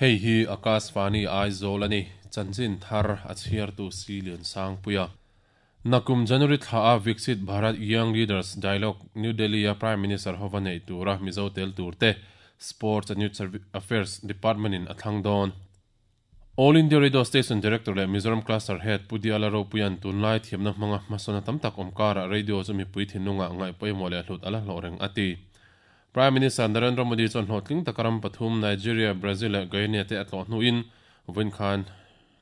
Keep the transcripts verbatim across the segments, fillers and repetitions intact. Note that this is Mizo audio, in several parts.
Hei hi Akashvani Aizawl ani chanchin thar a chhiartu Silian Sangpuia. Nakum January thla a Viksit Bharat Young Leaders Dialogue New Delhi a Prime Minister hova nei tura Mizo tel turte Sports and Youth Affairs Department in athlang dawn. All India Radio Station Director le Mizoram Cluster Head Pudiala Ropuian tunlai thiamna hmanga hmasawna tam tak awmkara radio chu mipui thinlunga ngaih pawimawh leh hlut ala hlawh reng a ti. Prime Minister Narendra Modi chuan hlawhtling takaram pathum Nigeria, Brazil leh Guyana te a tlawh hnuin vawiin khan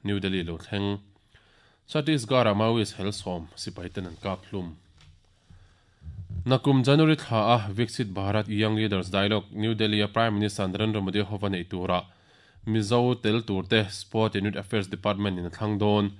New Delhi lo thleng. Chhattisgarh-a Maoist hel sawm sipai ten an kap hlum. Nakum January thla a Viksit Bharat Young Leaders Dialogue New Delhi a Prime Minister Narendra Modi hova nei tura Mizo tel turte Sport and Youth Affairs Department in a thlang dawn.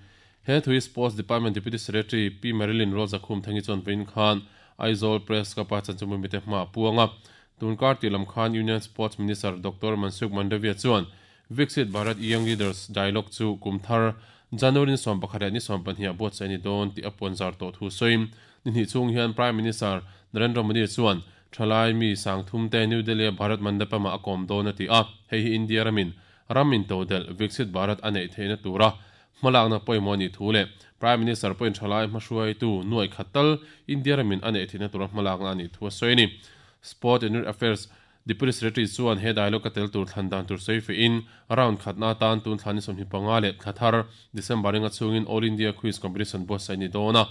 He thui Sports Department Deputy Secretary P. Marilyn Rozakhum thangi chuan vawiin khan Aizawl Press Club-a chanchinbu mite hma a puanga. Tunkar ti lam khan Union Sports Minister Doctor Mansukh Mandavia chuan Viksit Bharat Young Leaders Dialogue chu kumthar January ni sawm pakhat leh ni sawm pahnih ah buatsaih ni dawn tih a puan zar tawh thu sawiin ni hnih chung hian Prime Minister Narendra Modi chuan thalai mi sangthum te New Delhi a Bharat Mandapam ah a kawm dawn a ti a. Hei hi India ramin ram in todel Viksit Bharat a neih theihna tura hmalakna pawimawh ni thu leh Prime Minister pawhin thalai hmahruaitu nuai khat tal India ramin a neih theihna tura hmalakna a nih thu a sawi ni. Sport and Youth Affairs Deputy Secretary chuan he dialogue a tel tur thlan dan tur sawi fe in round khatna tan tun thlan ni sawmhnih panga leh thla thar December ringa chungin All India Quiz Competition buatsaih ni dawn a.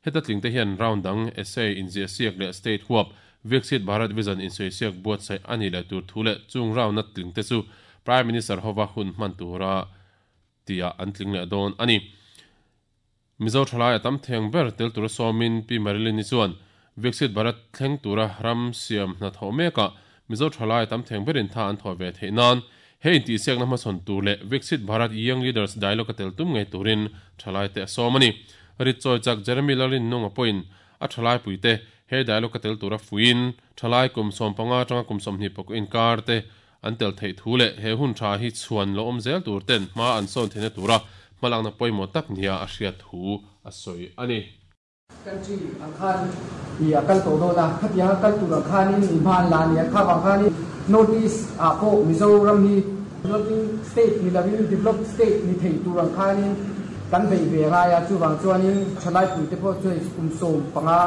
Heta tling te hian round dang essay inziah siak leh state huap Viksit Bharat Vision insawi siak buatsaih ani leh tur thu leh chung round na tling te chu Prime Minister hova hun hman tura tia an tling leh dawn ani. Mizo thalai a tam theng ber tel tura sawmin P. Marilyn ni chuan Viksit Bharat thleng tura ram siam hna thaw meka Mizo thalai tam theng berin tha an thaw ve theih nan hei inti siakna hmasawn tur leh Viksit Bharat Young Leaders Dialogue a tel tum ngei turin thalai te a sawm ani. Rit chawi chak Jeremy Lalrin nunga pawhin a thalai puite he dialogue a tel tura fuin thalai kum sawm panga atanga kum sawmhnih pakua inkar te an tel theih thu leh he hun tha hi chhuan lo awm zel tur ten hma an sawn theihna tura hmalakna pawimawh tak nia a hriat thu a sawi ani. Country ang khan i a kal tawh dawn a, khatiang a kal tur ang khanin i hma an la a ni a, kha vang khanin North East ah pawh Mizoram hi developing state ni lovin developed state ni thei tur ang khanin kan bei ve ngai a, chuvang chuanin thalai pui te pawh chu hei kum sawm panga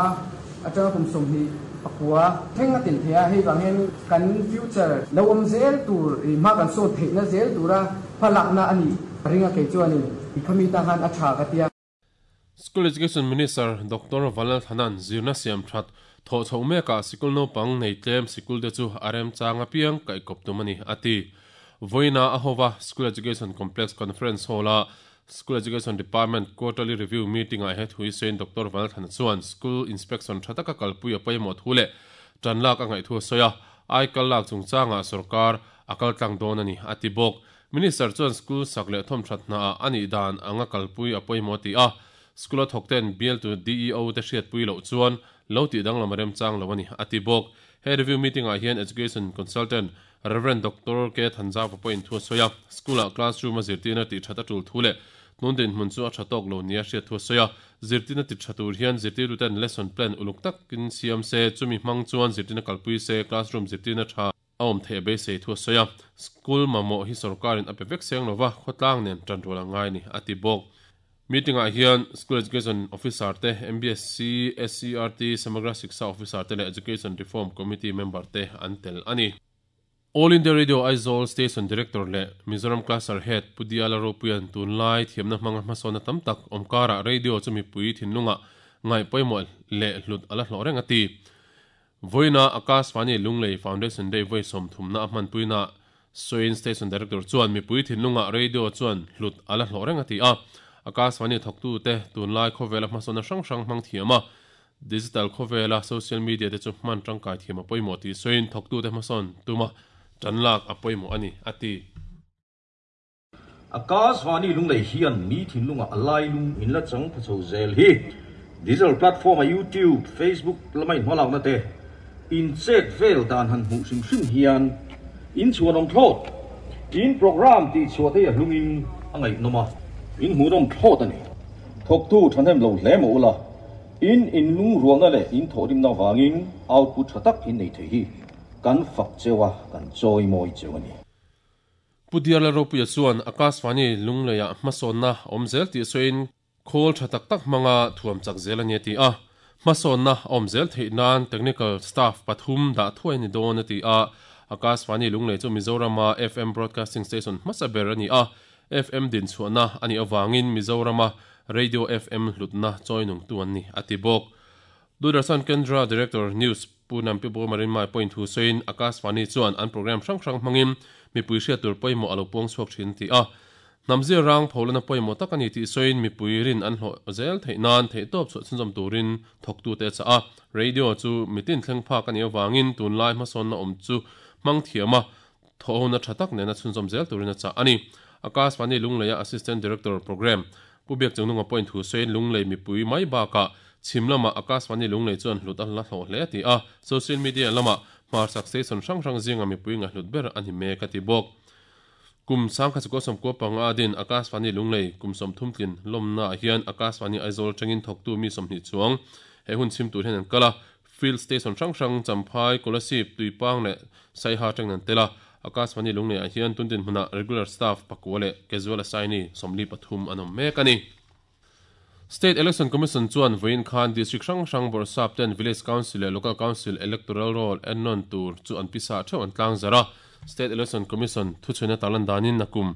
atanga kum sawmhnih pakua thleng a tel thei a, hei vang hian kan future lo awm zel tur i hma kan sawn theihna zel tura hmalakna a nih ringa kei chuanin i khami ta khan a tha ka tia. School Education Minister Doctor Vanlal Thanan zirna siam that thaw chho meka sikul naupang nei tlem sikul te chu arem changa piang kai kop tum ani ati. Voina ahova School Education Complex Conference Hall a School Education Department Quarterly Review Meeting a he thui sein Doctor Vanlal Thana chuan school inspection thataka kalpui a pawimawh thu leh tanlak a ngaih thu a sawi a, ai kal lak chungchanga sarkar a kal tlang dawn ani ati bawk. Minister chuan school sak leh thawm that hna a ani dan anga kalpui a pawimawh ti a. School a thawk ten bial tu D E O te hriat pui loh chuan lo ti dang lam rem chang lo ani ati bawk. He review meeting ah hian education consultant Reverend Doctor K Thanza pawhin thu a sawi a, school ah classroom a zirtirna ti that a tul thu leh tun din hmun chu a tha tawk lo nia hriat thu a sawi a, zirtirna ti tha tur hian zirtirtu ten lesson plan uluk takin siam se chumi hmang chuan zirtirna kalpui se classroom zirtirna tha a awm theih a beisei thu a sawi a, school mamawh hi sarkarin a pe vek seng lova khawtlang nen tan rual a ngai ni ati bawk. Meeting ah hian School Education Officer te M B S C, S C R T, Samagra Shiksha Officer te leh Education Reform Committee member te an tel ani. All India Radio Aizawl Station Director leh Mizoram Cluster Head Pudiala Ropuian tunlai thiamna hmanga hmasawna tam tak awmkara radio chu mipui thinlunga ngaih pawimawh leh hlut ala hlawh reng ati. Voina Akashvani Lunglei Foundation Day voi sawm thumna a hmanpuina Soin Station Director chuan mipui thinlunga radio chuan hlut ala hlawh reng ati a. Akashvani thawktu te tunlai khawvela hmasawna hrang hrang hmang thiama digital khawvela social media te chu hman tangkai thiam a pawimawh tih sawiin thawktu te hmasawn tuma tanlak a pawimawh ani ati. Akashvani Lunglei hian mi thinlunga a lai lung in la chang pha chho zel hi digital platform a YouTube, Facebook lamai hmalakna te in chet vel dan han hmuh hrim hrim hian in chuan awm thlawt in program ti chhuah te a hlungin a ngaihnawm a in hmuhnawm thlawt ani. Thawktu thahnem lo hle maw ula in in lung rualna leh in thawhrimna wangin output tha tak in nei thei hi kan fak chewa kan chawi mawi cheu ani. Pu D R Lalropuia chuan Akashvani Lungleia hmasawnna awm zel tih sawiin khawl tha tak tak hmanga thuam chak zel a ni a ti a. Hmasawnna awm zel theih nan technical staff pathum dah thuai a ni dawn a ti a. Akashvani Lunglei chu Mizorama F M broadcasting station hmasa ber a ni a. F M din chhuahna a nih avangin Mizorama radio F M hlutna chawinung tu an ni a ti bawk. Doordarshan Kendra Director News Pu Nampi Marinmai point thu sawiin Akashvani chuan an program hrang hrang hmangin mipui hriat tur pawimawh a lo puang chhuak thin ti a. Hnamzia rang pholana pawimawh tak a ni tih sawiin mipui rin an hlawh zel theih nan theih tawp chhuah chhunzawm turin thawktu te cha a. Radio chu mitin thleng phak a nih avangin tunlai hmasawnna awm chu hmang thiama thawhna tha tak nena chhunzawm zel turin a chah a ni. Akashvani Lungleia Assistant Director Program Pu Biak Chungnunga point thu sawiin Lunglei mipui mai bakah chhim lama Akashvani Lunglei chuan hlut a la hlawh hle ti a. Social media lama hmarchhak station hrang hrang zinga mipui nga hlut ber a ni mek a ti bawk. Kum sangkhat zakua sawmkua panga din Akashvani Lunglei kum sawmthum tlin lawmna ah hian Akashvani Aizawl tangin thawktu mi sawmhnih chuang he hun chhim tur hian an kal a. Field station hrang hrang Champhai, Kolasib, Tuipang leh Saiha tangin an tel a. Akashvani Lunglei ah hian tundin hmuna regular staff pakua leh casual assignee sawmli pathum an awm mek a ni. State Election Commission chuan vawiin khan district hrang hrang bawrhsap ten Village Council leh Local Council electoral roll ennawn tur chu an pisa theuh an tlang zar a. State Election Commission thuchhuina tarlan danin nakum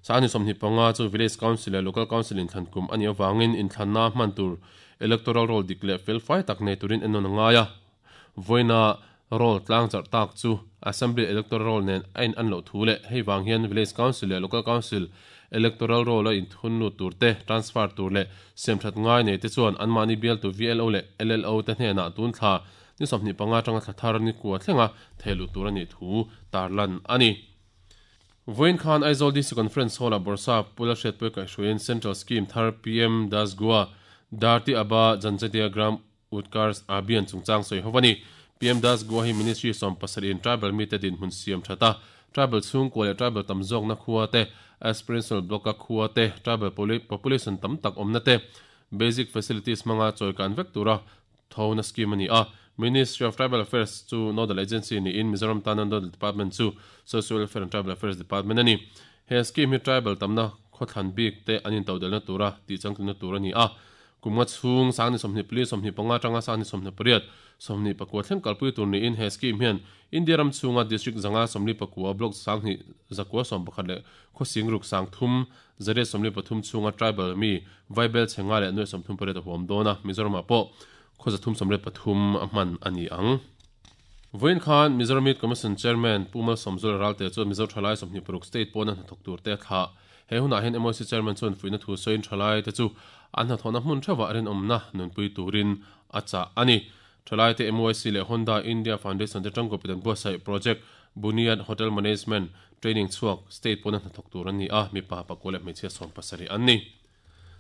sangni sawmhnih panga chu Village Council leh Local Council inthlan kum a nih avangin inthlanna hman tur electoral roll dik leh fel fai tak nei turin ennawn a ngai a. Vawiina roll tlang zarh tak chu Assembly electoral roll nen a in an loh thu leh hei vang hian Village Council leh Local Council electoral roll a inthun lut tur te, transfer tur leh siamthat ngai nei te chuan anmahni bialtu V L O leh L L O te hnenah tun thla ni sawmhnih panga tanga thla thar ni kua thlenga thehluh tur a nih thu tarlan a ni. Vawiin khan Aizawl D C Conference Hall ah Bawrhsap Pu Lalhriatpuia kaihhruaiin Central Scheme thar P M Das Goa Dharti Aba Janjatiya Gram Utkarsh Abhiyan chungchang sawi ho a ni. P M Das Goa hi Ministry sawm pasarih in tribal mi te dinhmun siam thata tribal chhungkua leh tribal tam zawkna khua te, aspirational block a khua te, tribal population tam tak awmna te basic facilities hmanga chawikan vek tura thona scheme a ni a. Ministry of Tribal Affairs chu nodal agency niin Mizoram tana nodal department chu Social Welfare and Tribal Affairs Department a ni. He scheme hi tribal tamna khawthlan bik te an intodelhna tura tih changtlunna tur a ni a. Kum nga chhung sangni sawmhnih pali sawmhnih panga tanga sangni sawmhnih pariat sawmhnih pakua thleng kalpui tur niin he scheme hian India ram chhunga district zanga sawmli pakua, block sanghnih zakua sawm pakhat leh khawsing ruk sang thum zariat sawmli pathum chhunga tribal mi vaibel chhenga leh nuai sawmthum pariat a huam dawn a. Mizoramah pawh khaw zathum sawmriat pathum a hman a ni ang. Vawiin khan Mizoram Youth Commission Chairman Pu Malsawmzuala Ralte chuan Mizo thalai sawmhnih paruk state pawna hnathawk tur te a thlah. He hunah hian M Y C Chairman chuan fuihna thu sawiin thalai te chu an hnathawhna hmun theuhah rinawmna nunpui turin a chah a ni. Thalai te M Y C leh Honda India Foundation te tangkawpin an buatsaih Project Buniad Hotel Management Training chhuak state pawna hnathawk tur an ni a, mipa pakua leh hmeichhia sawm pasarih an ni.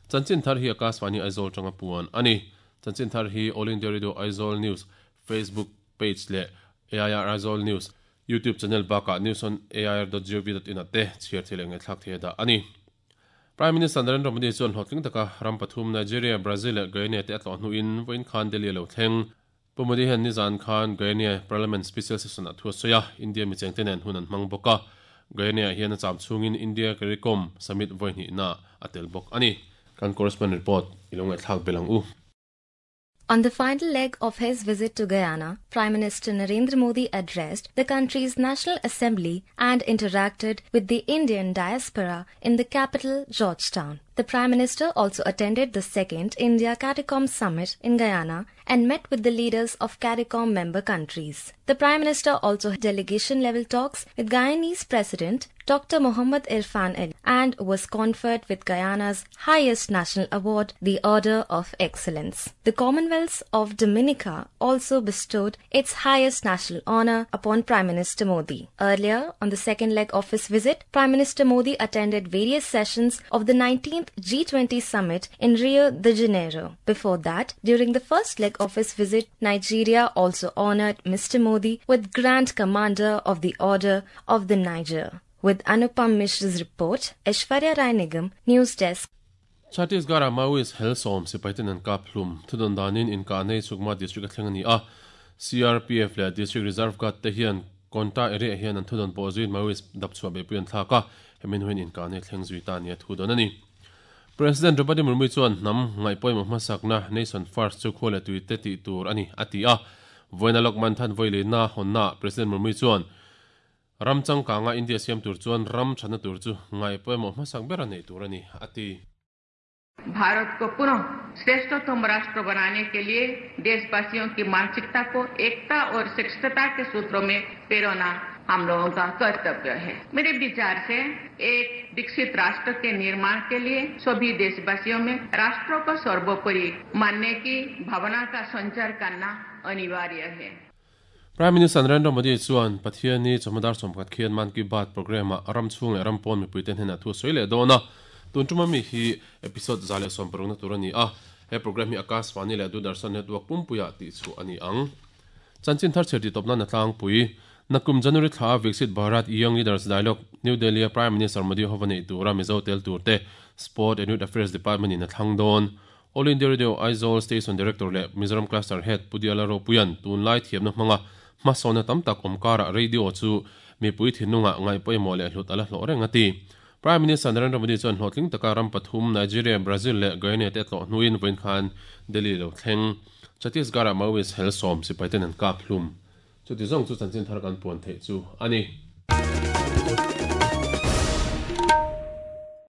Chanchin thar hi Akashvani Aizawl tanga puan a ni. Chanchin thar hi All India Radio Aizawl News Facebook page leh A I R Aizawl News YouTube channel bakah news on A I R dot gov dot in te chhiar thei leh ngaihthlak thei a dah a ni. Prime Minister Narendra Modi chuan hlawhtling taka ram pathum Nigeria, Brazil leh Guyana te a tlawh hnuin vawiin khan Delhi lo thleng. Pu Modi hian nizan khan Guyana Parliament Special Session a thu a sawi a, India micheng te nen hun an hmang bawk a. Guyana hian a cham chhungin India CARICOM Summit vawi na a tel bawk a ni. Kan correspondent report i lo ngaihthlak belang u. On the final leg of his visit to Guyana, Prime Minister Narendra Modi addressed the country's National Assembly and interacted with the Indian diaspora in the capital, Georgetown. The Prime Minister also attended the second India CARICOM Summit in Guyana and met with the leaders of CARICOM member countries. The Prime Minister also had delegation level talks with Guyanese President Doctor Mohammad Irfan Ali and was conferred with Guyana's highest national award, the Order of Excellence. The Commonwealth of Dominica also bestowed its highest national honor upon Prime Minister Modi. Earlier, on the second leg of his visit, Prime Minister Modi attended various sessions of the nineteenth G twenty summit in Rio de Janeiro. Before that, during the first leg of his visit, Nigeria also honored Mister Modi with Grand Commander of the Order of the Niger. With Anupam Mishra's report, Aishwarya Rai Nigam, News Desk. Chhattisgarh Maoist hel sawm sipaiten an kap hlum. Thudawn danin inkah nei Sukma district a thleng a ni a. C R P F leh District Reserve Guard te hian Konta area hian an thudon pawh zuiin Maoist dap chhuah beihpui an thlak a, hemin huin inkahna hi thleng zui ta nia thu dawn a ni. President Draupadi Murmu chuan hnam ngaihpawimawh hmasakna Nation First chu khua leh tuite tih tur a ni a ti a. Vawiina Lokman Than Vawilina hawnnaah President Murmu chuan ram changkanga India siam tur chuan ram thatna tur chu ngaihpawimawh hmasak ber a neih tur a ni a ti. Bharat को पुनः श्रेष्ठतम राष्ट्र बनाने के लिए देशवासियों की मानसिकता को एकता और श्रेष्ठता के सूत्रों में प्रेरणा हम लोगों का कर्तव्य है। मेरे विचार से एक विकसित राष्ट्र के निर्माण के लिए सभी देशवासियों में राष्ट्र को सर्वोपरि मानने की भावना का संचार करना अनिवार्य है। Prime Minister Narendra Modi chuan Pathianni chawhma dar sawmkhat khian Mann Ki Baat programme-ah ram chhung leh ram pawn mipuite hnenah thu a sawi leh dawn a. Tun tuma mi hi episode za leh sawm parukna tur a ni a. He programme hi Akashvani leh Doordarshan Network pumpuia tih chhuah a ni ang. Chanchin thar chher tih tawp nan a tlangpui. Nakum January thla a Viksit Bharat Young Leaders Dialogue New Delhi a Prime Minister Modi hova neih tura Mizo tel tur te Sport and Youth Affairs Department in a thlang dawn. All India Radio Aizawl Station Director leh Mizoram Cluster Head Pu Diala Ropuian tunlai thiamna hmanga hmasawna tam tak awmkara radio chu mipui thinlungah ngaihpawimawh leh hlut ala hlawh reng a ti. Prime Minister Narendra Modi chuan hlawhtling taka ram pathum Nigeria, Brazil leh Guyana te tlawh hnuin vawiin khan Delhi lo thleng. Chhattisgarh-ah Maoist hel sawm sipai ten an kap hlum. Chuti zawng chu chanchin thar kan puan theih chu a ni.